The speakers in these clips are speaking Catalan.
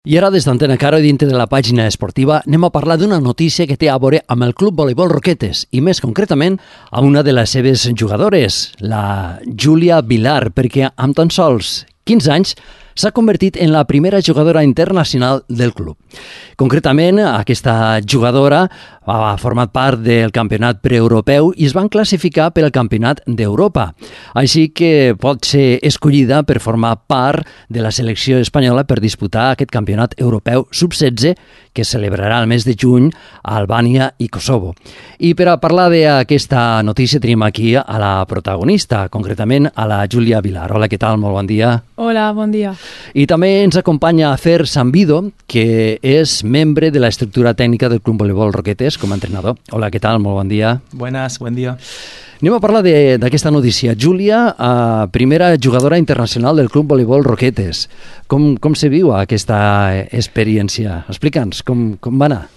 I ara, des d'Antena Caro i dintre de la pàgina esportiva, anem a parlar d'una notícia que té a veure amb el Club Voleibol Roquetes i més concretament a una de les seves jugadores, la Júlia Vilar, perquè amb tan sols 15 anys s'ha convertit en la primera jugadora internacional del club. Concretament, aquesta jugadora ha format part del campionat preeuropeu i es van classificar per al campionat d'Europa. Així que pot ser escollida per formar part de la selecció espanyola per disputar aquest campionat europeu sub-16 que es celebrarà el mes de juny a Albània i Kosovo. I per a parlar d'aquesta notícia tenim aquí a la protagonista, concretament a la Júlia Vilar. Hola, què tal? Molt bon dia. Hola, bon dia. I també ens acompanya Fer Sambido, que és membre de l'estructura tècnica del Club Voleibol Roquetes com a entrenador. Hola, què tal? Molt bon dia. Buenas, buen día. Anem a parlar d'aquesta notícia. Júlia, primera jugadora internacional del Club Voleibol Roquetes. Com se viu aquesta experiència? Explica'ns, com va anar?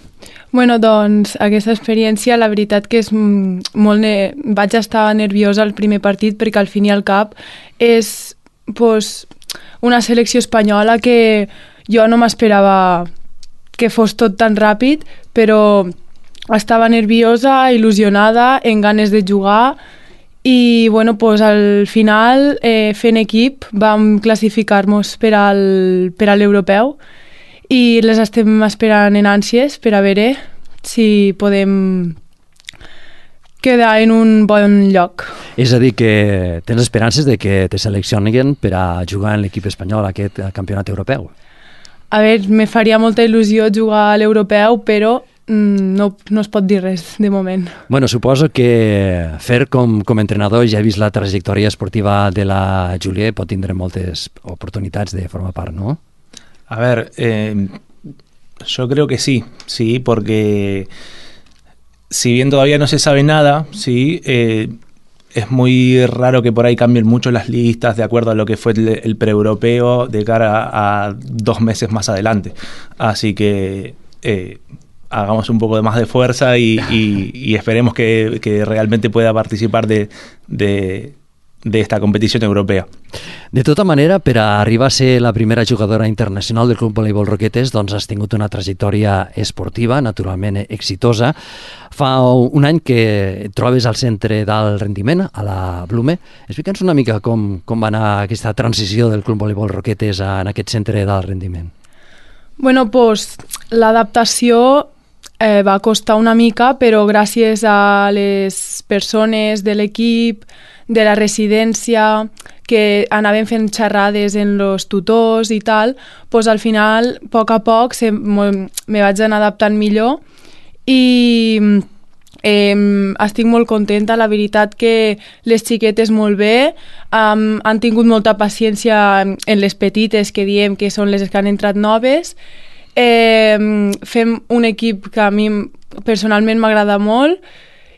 Bueno, doncs aquesta experiència la veritat que és molt... Vaig estar nerviosa al primer partit perquè al fin i al cap és una selecció espanyola que jo no m'esperava que fos tot tan ràpid, però estava nerviosa, il·lusionada, en ganes de jugar i bueno, al final fent equip vam classificar-nos per a l'europeu i les estem esperant en ànsies per a veure si podem quedar en un bon lloc. És a dir, que tens esperances de que te seleccionin per a jugar en l'equip espanyol a aquest campionat europeu? A veure, me faria molta il·lusió jugar a l'europeu, però no es pot dir res de moment. Bueno, suposo que Fer com a entrenador ja he vist la trajectòria esportiva de la Júlia i pot tindre moltes oportunitats de formar part, ¿no? A ver, yo creo que sí, porque si bien todavía no se sabe nada, sí, es muy raro que por ahí cambien mucho las listas de acuerdo a lo que fue el preeuropeo de cara a 2 meses más adelante. Así que hagamos un poco de más de fuerza y esperemos que realmente pueda participar de esta competición europea. De tota manera, per a arribar a ser la primera jugadora internacional del Club Voleibol Roquetes, doncs has tingut una trajectòria esportiva, naturalment exitosa. Fa un any que et trobes al centre d'alt rendiment, a la Blume. Explica'ns una mica com va anar aquesta transició del Club Voleibol Roquetes en aquest centre d'alt rendiment. Bueno, l'adaptació va costar una mica, però gràcies a les persones de l'equip, de la residència, que anaven fent xerrades en els tutors i tal, al final, a poc, me vaig anar adaptant millor i estic molt contenta. La veritat que les xiquetes molt bé, han tingut molta paciència en les petites, que diem que són les que han entrat noves. Fem un equip que a mi personalment m'agrada molt.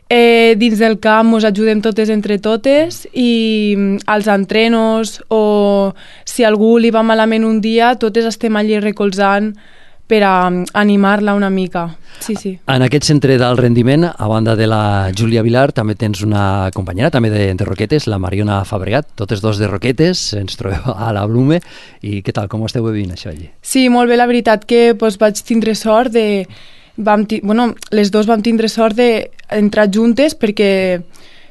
Dins del camp ens ajudem totes entre totes i als entrenos o si algú li va malament un dia, totes estem allí recolzant per a animar-la una mica. Sí. En aquest centre d'alt rendiment, a banda de la Júlia Vilar, també tens una companyera també de Roquetes, la Mariona Fabregat, totes dos de Roquetes, ens trobeu a la Blume. I què tal, com ho esteu vivint això allí? Sí, molt bé, la veritat que vaig tindre sort de... les dos vam tindre sort d'entrar juntes perquè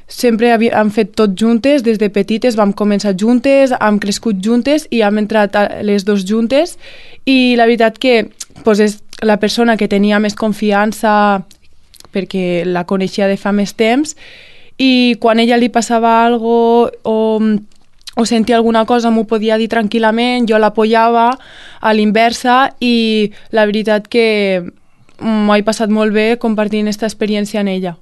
sempre hem fet tot juntes, des de petites vam començar juntes, hem crescut juntes i hem entrat les dos juntes i la veritat que és la persona que tenia més confiança perquè la coneixia de fa més temps i quan ella li passava alguna cosa o sentia alguna cosa m'ho podia dir tranquil·lament, jo l'apoyava a l'inversa i la veritat que m'ho he passat molt bé compartint aquesta experiència en ella.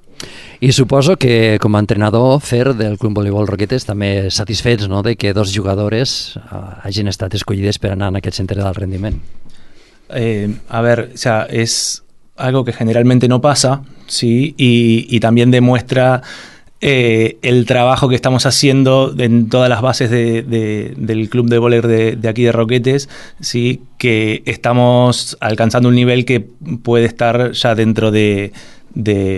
I suposo que com a entrenador Fer del Club Voleibol Roquetes també satisfets, no?, de que 2 jugadores hagin estat escollides per anar en aquest centre d'alt rendiment. A ver, o sea, es algo que generalmente no pasa, ¿sí? Y también demuestra el trabajo que estamos haciendo en todas las bases del club de voleibol de aquí de Roquetes, ¿sí? Que estamos alcanzando un nivel que puede estar ya dentro de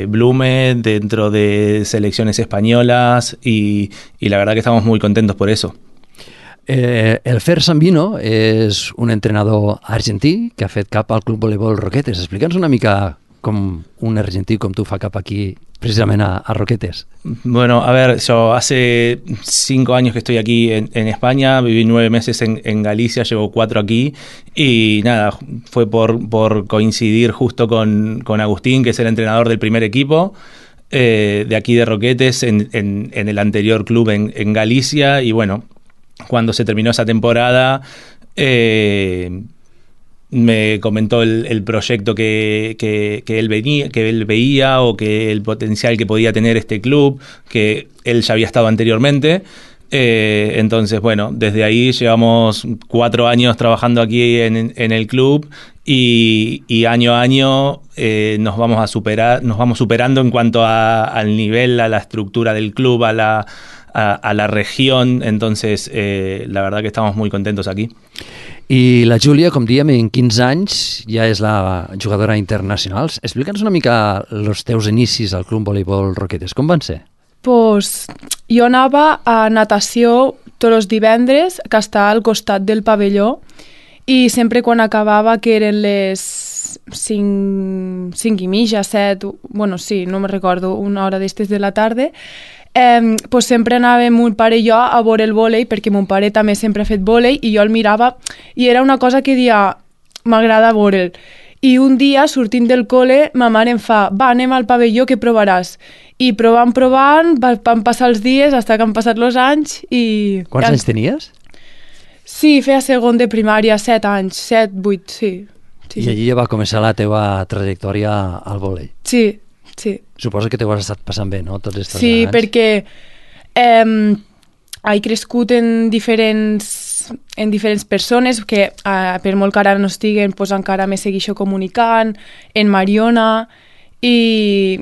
Blume, dentro de selecciones españolas y la verdad que estamos muy contentos por eso. El Fer Sambino és un entrenador argentí que ha fet cap al Club Voleibol Roquetes. Explica'ns una mica com un argentí com tu fa cap aquí, precisamente a Roquetes. Bueno, a ver, yo hace 5 años que estoy aquí en España, viví 9 meses en Galicia, llevo 4 aquí y nada, fue por coincidir justo con Agustín, que es el entrenador del primer equipo de aquí de Roquetes en el anterior club en Galicia, y bueno, cuando se terminó esa temporada me comentó el proyecto que él veía o que el potencial que podía tener este club, que él ya había estado anteriormente. Entonces, bueno, desde ahí llevamos 4 años trabajando aquí en el club y año a año nos vamos superando en cuanto al nivel, a la estructura del club, a la región. Entonces, la verdad que estamos muy contentos aquí. I la Júlia, com diem, en 15 anys ja és la jugadora internacional. Explica'ns una mica els teus inicis al Club Voleibol Roquetes. Com van ser? Pues, jo anava a natació tots els divendres, que està al costat del pavelló, i sempre quan acabava, que eren les 5:30, 7, bueno, sí, no me recordo, una hora d'estes de la tarda, pues sempre anàvem mon pare i jo a veure el vòlei, perquè mon pare també sempre ha fet vòlei i jo el mirava i era una cosa que dia m'agrada veure'l. I un dia, sortint del col·le, ma mare em fa, va, anem al pavelló, que provaràs. I provant, van passar els dies fins que han passat els anys i... Quants anys tenies? Sí, feia segon de primària, 7 anys, 7, 8, sí. I allí ja va començar la teva trajectòria al vòlei. Sí, sí. Suposo que t'ho has estat passant bé, no? Tots aquests anys. Sí, perquè he crescut en diferents persones que per molt que ara no estiguen, pues encara me segueixo comunicant, en Mariona, i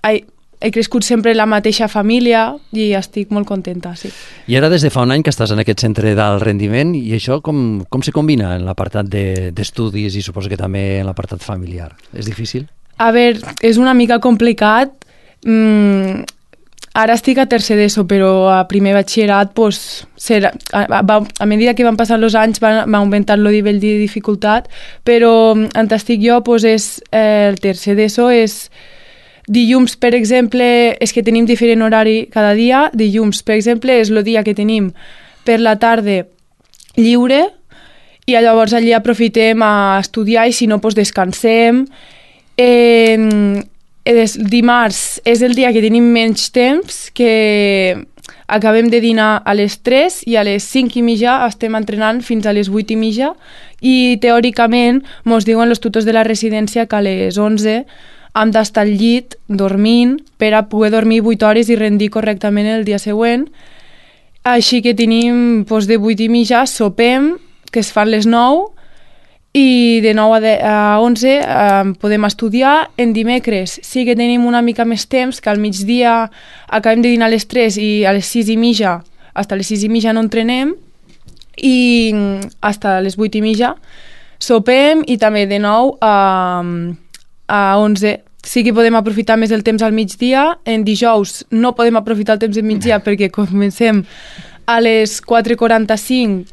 he crescut sempre en la mateixa família i estic molt contenta, sí. I ara des de fa un any que estàs en aquest centre d'alt rendiment, i això com se combina en l'apartat d'estudis i suposo que també en l'apartat familiar? És difícil? A veure, és una mica complicat. Ara estic a tercer d'ESO, però a primer batxillerat, pues, a mesura que van passant els anys va augmentant el nivell de dificultat, però on estic jo, pues, el tercer d'ESO és dilluns, per exemple, és que tenim diferent horari cada dia. Dilluns, per exemple, és el dia que tenim per la tarda lliure i llavors allí aprofitem a estudiar i si no, pues, descansem. Dimarts és el dia que tenim menys temps, que acabem de dinar a les 3 i a les 5:30 estem entrenant fins a les 8:30 i teòricament ens diuen els tutors de la residència que a les 11 hem d'estar al llit dormint per a poder dormir 8 hores i rendir correctament el dia següent. Així que tenim de 8:30 sopem, que es fan les 9, i de 9 a 11 podem estudiar. En dimecres sí que tenim una mica més temps, que al migdia acabem de dinar a les 3 i a les 6:30, fins a les 6:30 no entrenem, i fins a les 8:30 sopem, i també de 9 a 11 sí que podem aprofitar més el temps al migdia. En dijous no podem aprofitar el temps del migdia perquè comencem a les 4:45,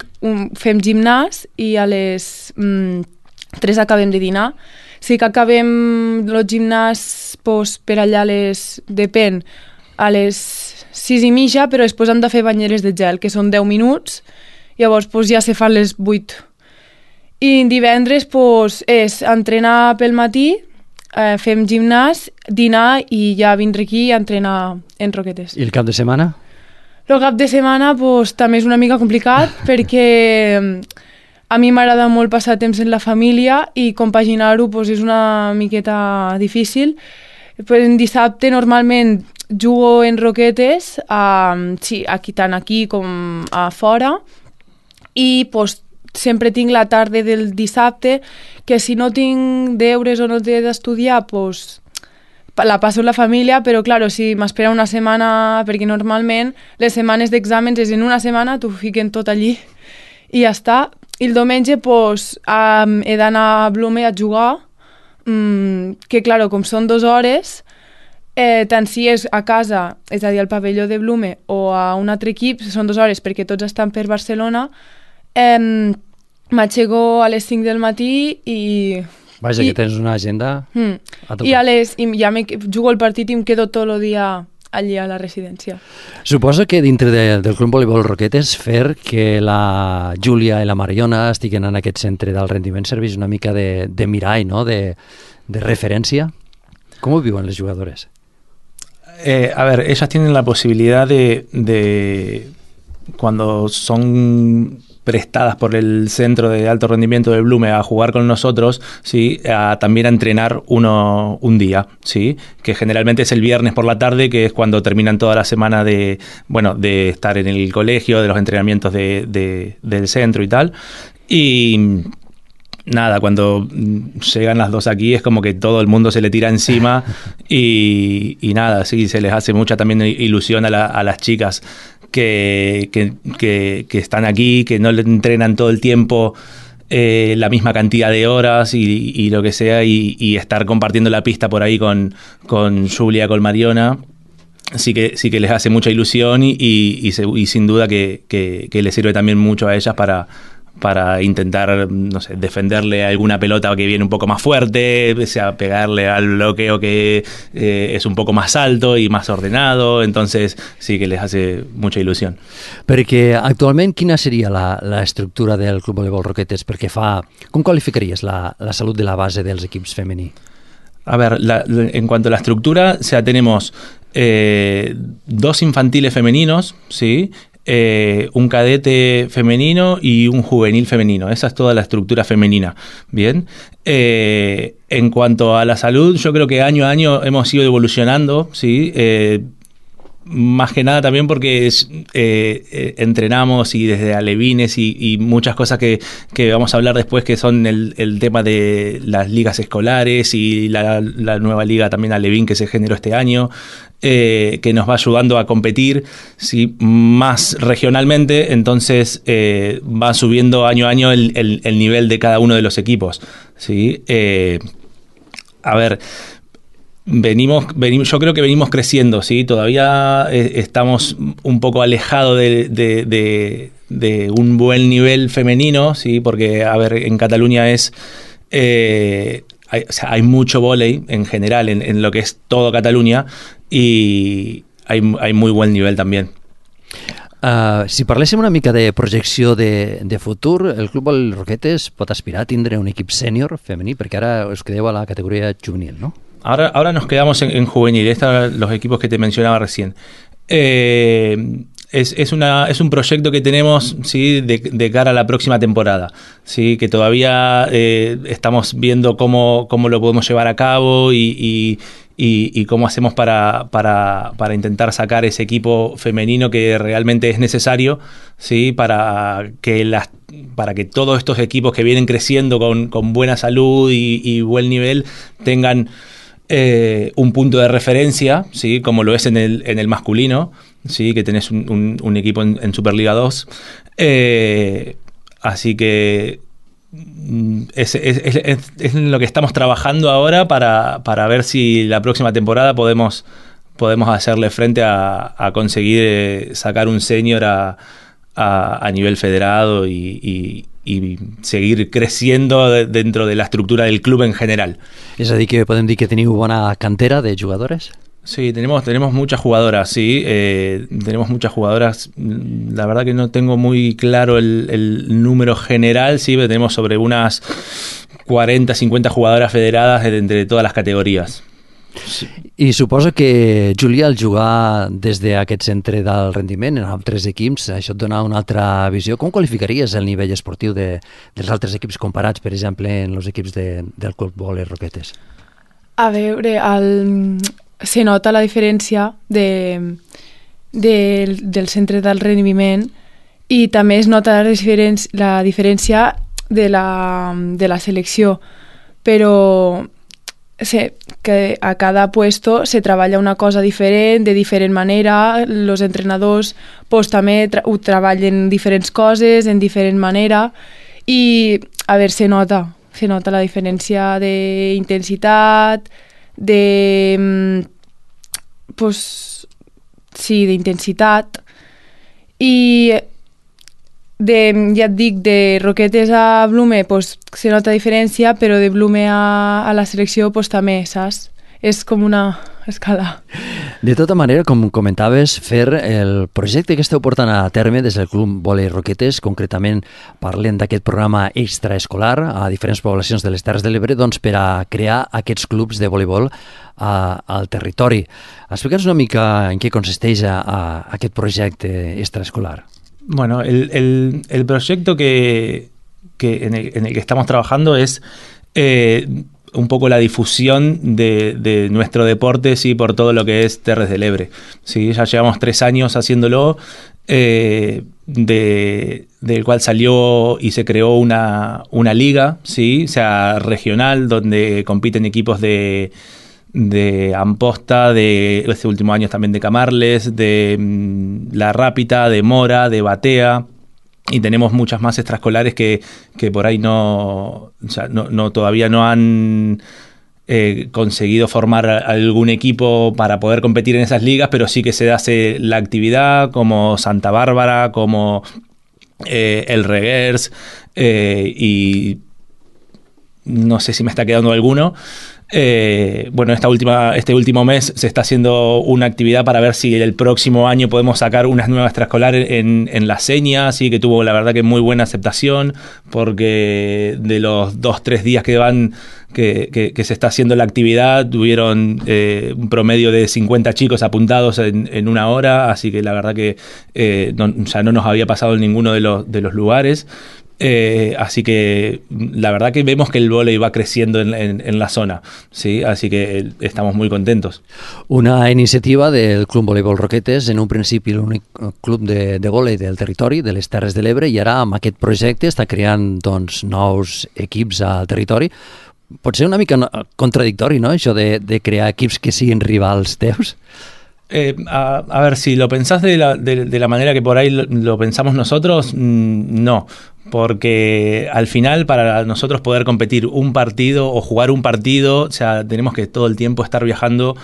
fem gimnàs i a les 3 acabem de dinar. Sí que acabem el gimnàs per allà depèn, a les 6:30, però després hem de fer banyeres de gel, que són 10 minuts, llavors ja se fan les 8. I divendres és entrenar pel matí, fem gimnàs, dinar i ja vindre aquí a entrenar en Roquetes. I el cap de setmana? El cap de setmana també és una mica complicat perquè a mi m'agrada molt passar temps en la família i compaginar-ho és una miqueta difícil. En dissabte normalment jugo en Roquetes, tant aquí com a fora, i sempre tinc la tarda del dissabte, que si no tinc deures o no he d'estudiar, la passo en la família, però clar, si m'espera una setmana, perquè normalment les setmanes d'exàmens és en una setmana, t'ho fiquen tot allí i ja està. I el diumenge he d'anar a Blume a jugar, que clar, com són 2 hores, tant si és a casa, és a dir, al pavelló de Blume o a un altre equip, són 2 hores perquè tots estan per Barcelona, m'aixeco a les 5 del matí i... Vaja, que tens una agenda a tocar. I ja jugo el partit i em quedo tot el dia allí a la residència. Suposo que dintre del Club Voleibol Roquetes fer que la Júlia i la Mariona estiguen en aquest centre del rendiment serveix una mica de mirall, ¿no? de referencia. ¿Cómo viven las jugadoras? A ver, ellas tienen la posibilidad de cuando son prestadas por el centro de alto rendimiento de Blume a jugar con nosotros, ¿sí? También a entrenar un día, ¿sí? Que generalmente es el viernes por la tarde, que es cuando terminan toda la semana de estar en el colegio, de los entrenamientos del centro y tal. Y nada, cuando llegan las 2 aquí es como que todo el mundo se le tira encima y nada, sí, se les hace mucha también ilusión a las chicas que están aquí, que no le entrenan todo el tiempo la misma cantidad de horas y lo que sea, y estar compartiendo la pista por ahí con Julia, con Mariona. Sí que les hace mucha ilusión y sin duda que les sirve también mucho a ellas para intentar, no sé, defenderle alguna pelota que viene un poco más fuerte, sea pegarle al bloqueo que es un poco más alto y más ordenado, entonces sí que les hace mucha ilusión. Perquè actualment quina seria la estructura del Club Voleibol Roquetes? Perquè com qualificaries la salut de la base dels equips femení? A ver, en cuanto a la estructura, o sea, tenemos 2 infantiles femeninos, ¿sí? Un cadete femenino y un juvenil femenino. Esa es toda la estructura femenina. Bien. En cuanto a la salud, yo creo que año a año hemos ido evolucionando, ¿sí? Más que nada también porque entrenamos y desde alevines y muchas cosas que vamos a hablar después, que son el tema de las ligas escolares y la nueva liga también alevín que se generó este año, que nos va ayudando a competir, ¿sí? Más regionalmente, entonces va subiendo año a año el nivel de cada uno de los equipos, ¿sí? A ver, yo creo que venimos creciendo, ¿sí? Todavía estamos un poco alejados de un buen nivel femenino, ¿sí? Porque, a ver, en Cataluña hay mucho vóley en general, en lo que es todo Cataluña, y hay muy buen nivel también. Si parléssim una mica de projecció de futur, el Club Voleibol Roquetes pot aspirar a tindre un equip sènior femení, perquè ara us quedeu a la categoria juvenil, no? Ahora nos quedamos en juvenil, estos los equipos que te mencionaba recién. Es un proyecto que tenemos, ¿sí? de cara a la próxima temporada, ¿sí? Que todavía estamos viendo cómo lo podemos llevar a cabo y cómo hacemos para intentar sacar ese equipo femenino que realmente es necesario, ¿sí? para que todos estos equipos que vienen creciendo con buena salud y buen nivel tengan un punto de referencia, ¿sí? Como lo es en el masculino, ¿sí? Que tenés un equipo en Superliga 2. Así que es lo que estamos trabajando ahora para ver si la próxima temporada podemos hacerle frente a conseguir sacar un senior a nivel federado y seguir creciendo dentro de la estructura del club en general. És a dir, que podem dir que teniu bona cantera de jugadores? Sí, tenemos muchas jugadoras, sí, tenemos muchas jugadoras. La verdad que no tengo muy claro el número general, sí, pero tenemos sobre unas 40, 50 jugadoras federadas entre todas las categorías. Sí. I suposo que, Júlia, al jugar des d'aquest centre del rendiment en altres equips, això et dona una altra visió. Com qualificaries el nivell esportiu dels altres equips comparats, per exemple, en els equips del Club Voleibol Roquetes? A veure, se nota la diferència del centre del rendiment i també es nota la diferència de la selecció, però que a cada puesto se treballa una cosa diferent, de diferent manera, els entrenadors pues, també ho treballen diferents coses, en diferent manera, i a veure, se nota la diferència d'intensitat, de pues, sí, d'intensitat. I ja et dic, de Roquetes a Blume pues, se nota diferència, però de Blume a la selecció pues, també, saps? És com una escala. De tota manera, com comentaves, Fer, el projecte que esteu portant a terme des del Club Vòlei Roquetes, concretament parlen d'aquest programa extraescolar a diferents poblacions de les Terres de l'Ebre, doncs per a crear aquests clubs de voleibol al territori. Explica'ns una mica en què consisteix aquest projecte extraescolar. Bueno, el proyecto en el que estamos trabajando es un poco la difusión de nuestro deporte, sí, por todo lo que es Terres del Ebre. Sí, ya llevamos 3 años haciéndolo, del cual salió y se creó una liga, sí, o sea, regional, donde compiten equipos de Amposta, de este último año también de Camarles, de La Rápita, de Mora, de Batea, y tenemos muchas más extraescolares que por ahí todavía no han conseguido formar algún equipo para poder competir en esas ligas, pero sí que se hace la actividad, como Santa Bárbara, como el Reguers, y no sé si me está quedando alguno. Bueno, este último mes se está haciendo una actividad para ver si el próximo año podemos sacar unas nuevas extraescolares en La Seña, así que tuvo la verdad que muy buena aceptación, porque de los 2-3 días que se está haciendo la actividad, tuvieron un promedio de 50 chicos apuntados en una hora, así que la verdad que ya no nos había pasado en ninguno de los lugares. Así que la verdad que vemos que el vóley va creciendo en la zona, ¿sí? Así que estamos muy contentos. Una iniciativa del Club Voleibol Roquetes, en un principi l'únic club de vòlei del territori, de les Terres de l'Ebre, i ara amb aquest projecte està creant doncs, nous equips al territori. Pot ser una mica contradictori, ¿no?, això de crear equips que siguin rivals teus. A ver, si lo pensás de la manera que por ahí lo pensamos nosotros, no, porque al final para nosotros poder competir un partido o jugar un partido, o sea, tenemos que todo el tiempo estar viajando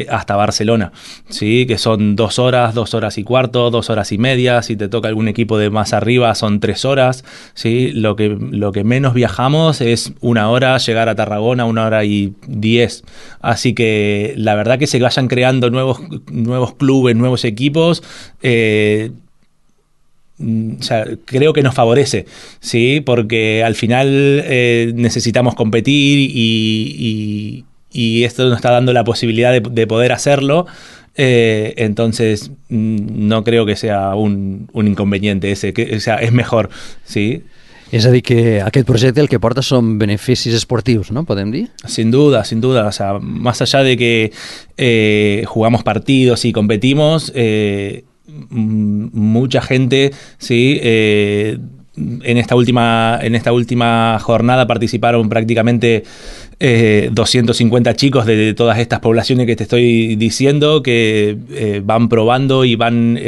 hasta Barcelona, ¿sí? Que son 2 horas, 2 horas y cuarto, 2 horas y media. Si te toca algún equipo de más arriba son 3 horas, ¿sí? Lo que menos viajamos es 1 hora, llegar a Tarragona, 1 hora y 10. Así que la verdad que se vayan creando nuevos clubes, nuevos equipos, o sea, creo que nos favorece, ¿sí? Porque al final necesitamos competir y esto nos está dando la posibilidad de poder hacerlo, entonces no creo que sea un inconveniente o sea, es mejor, ¿sí? És a dir, que aquest projecte el que porta són beneficis esportius, ¿no? ¿Podem dir? Sin duda. O sea, más allá de que jugamos partidos y competimos, mucha gente, ¿sí? En esta última jornada participaron prácticamente 250 chicos de todas estas poblaciones que te estoy diciendo, que van probando y van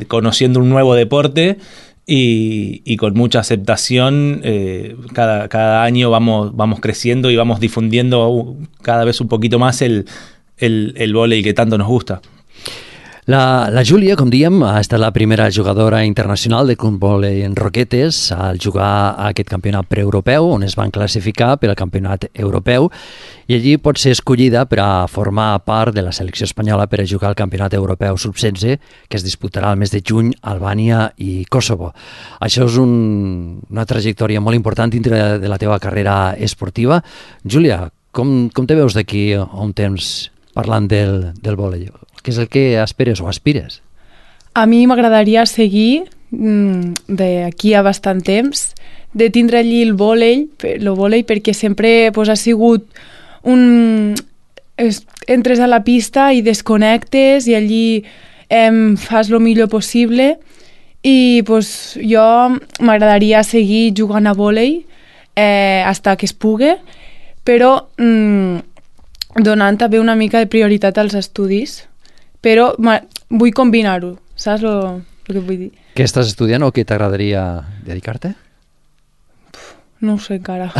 conociendo un nuevo deporte, y con mucha aceptación cada año vamos creciendo y vamos difundiendo cada vez un poquito más el vóley que tanto nos gusta. La Júlia, com diem, ha estat la primera jugadora internacional de Club Vòlei en Roquetes al jugar a aquest campionat preeuropeu, on es van classificar per al campionat europeu, i allí pot ser escollida per a formar part de la selecció espanyola per a jugar al campionat europeu sub-16, que es disputarà al mes de juny a Albània i Kosovo. Això és una trajectòria molt important dintre de la teva carrera esportiva. Júlia, com te veus d'aquí a un temps parlant del vòlei? Què és el que esperes o aspires? A mi m'agradaria seguir d'aquí a bastant temps, de tindre allí el vòlei perquè sempre ha sigut entres a la pista i desconnectes i allí fas el millor possible, i jo m'agradaria seguir jugant a vòlei fins que es pugui, però donant també una mica de prioritat als estudis, però vull combinar-ho, saps el que vull dir? Què estàs estudiant o què t'agradaria dedicar-te? No ho sé encara.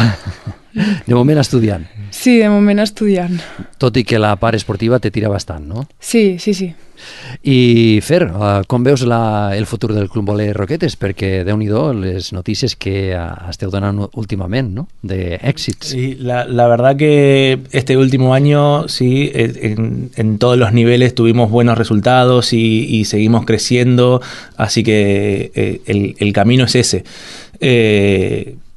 De moment estudiant. Sí, de moment estudiant. tot i que la part esportiva te tira bastant, no? Sí, sí, sí. I Fer, com veus el futur del Club Voler Roquetes? Perquè, Déu-n'hi-do, les notícies que esteu donant últimament, ¿no? De èxits. Sí, la verdad que este último año, sí, en todos los niveles tuvimos buenos resultados y seguimos creciendo, así que el camino es ese.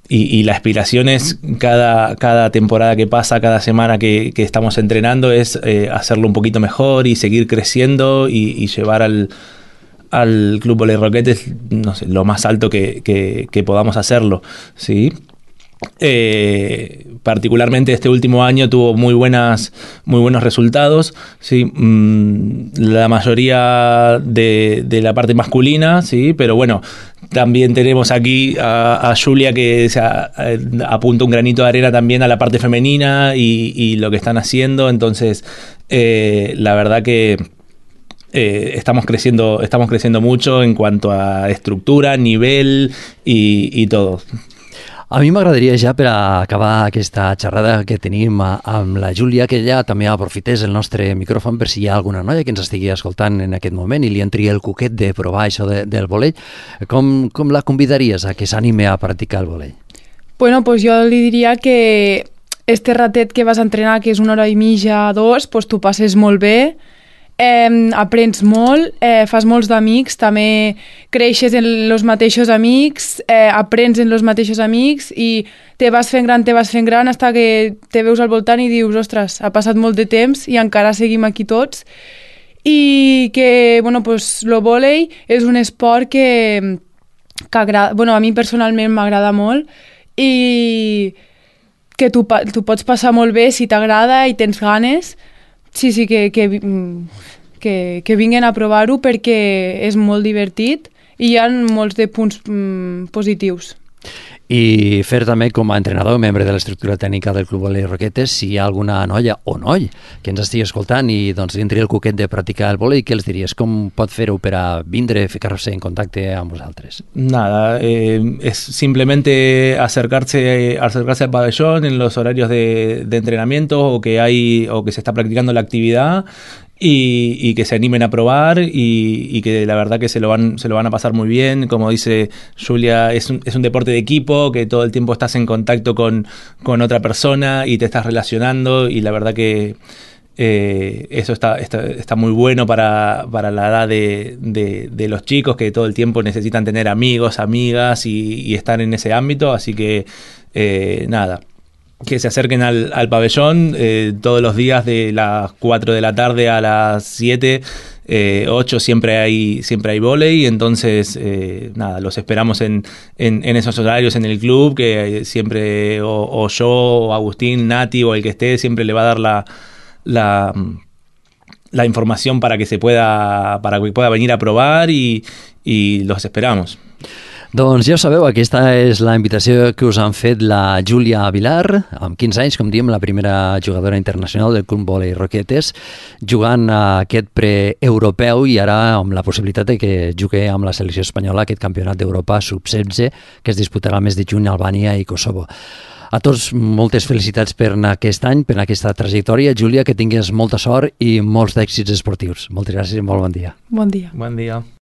Y la aspiración es cada temporada que pasa, cada semana que estamos entrenando, es hacerlo un poquito mejor y seguir creciendo y llevar al Club Voler Roquetes, no sé, lo más alto que podamos hacerlo, ¿sí? Particularmente este último año tuvo muy buenos resultados, ¿sí? La mayoría de la parte masculina, ¿sí? Pero bueno, también tenemos aquí a Julia que apunta un granito de arena también a la parte femenina y lo que están haciendo, entonces la verdad que estamos creciendo mucho en cuanto a estructura, nivel y todo. A mi m'agradaria ja per a acabar aquesta xerrada que tenim amb la Júlia que ella també aprofités el nostre micròfon per si hi ha alguna noia que ens estigui escoltant en aquest moment i li entri el cuquet de provar això del volei. Com la convidaries a que s'anime a practicar el volei? Bueno, pues jo li diria que este ratet que vas a entrenar, que és 1 hora i mitja, 2, pues tu passes molt bé, aprens molt, fas molts d'amics, també creixes en els mateixos amics, aprens en els mateixos amics i te vas fent gran fins que te veus al voltant i dius, ostres, ha passat molt de temps i encara seguim aquí tots. I que, bueno, pues, lo vòlei és un esport que agrada, bueno, a mi personalment m'agrada molt i que tu pots passar molt bé si t'agrada i tens ganes. Sí, que vinguen a provar-ho perquè és molt divertit i hi ha molts de punts positius. I Fer també com a entrenador, membre de l'estructura tècnica del Club Voler Roquetes, si hi ha alguna noia o noi que ens estigui escoltant i doncs li entri el cuquet de practicar el volei, què els diries? Com pot fer-ho per a vindre, ficar-se en contacte amb vosaltres? Nada, es simplemente acercarse al pabellón en los horarios de entrenamiento o que se está practicando la actividad y que se animen a probar y que la verdad que se lo van a pasar muy bien. Como dice Julia, es un deporte de equipo, que todo el tiempo estás en contacto con otra persona y te estás relacionando y la verdad que eso está muy bueno para la edad de los chicos que todo el tiempo necesitan tener amigos, amigas y estar en ese ámbito, así que nada, que se acerquen al pabellón todos los días de las 4 de la tarde a las 7, 8 siempre hay vóley, entonces nada, los esperamos en esos horarios en el club, que siempre o yo, o Agustín, Nati o el que esté, siempre le va a dar la información para que pueda venir a probar y los esperamos. Doncs ja ho sabeu, aquesta és la invitació que us han fet la Júlia Vilar, amb 15 anys, com diem, la primera jugadora internacional del Club Voler Roquetes, jugant a aquest pre-europeu i ara amb la possibilitat de que jugui amb la selecció espanyola aquest campionat d'Europa sub-16 que es disputarà el mes de juny a Albània i Kosovo. A tots, moltes felicitats per aquest any, per aquesta trajectòria. Júlia, que tingues molta sort i molts d'èxits esportius. Moltes gràcies i molt bon dia. Bon dia. Bon dia.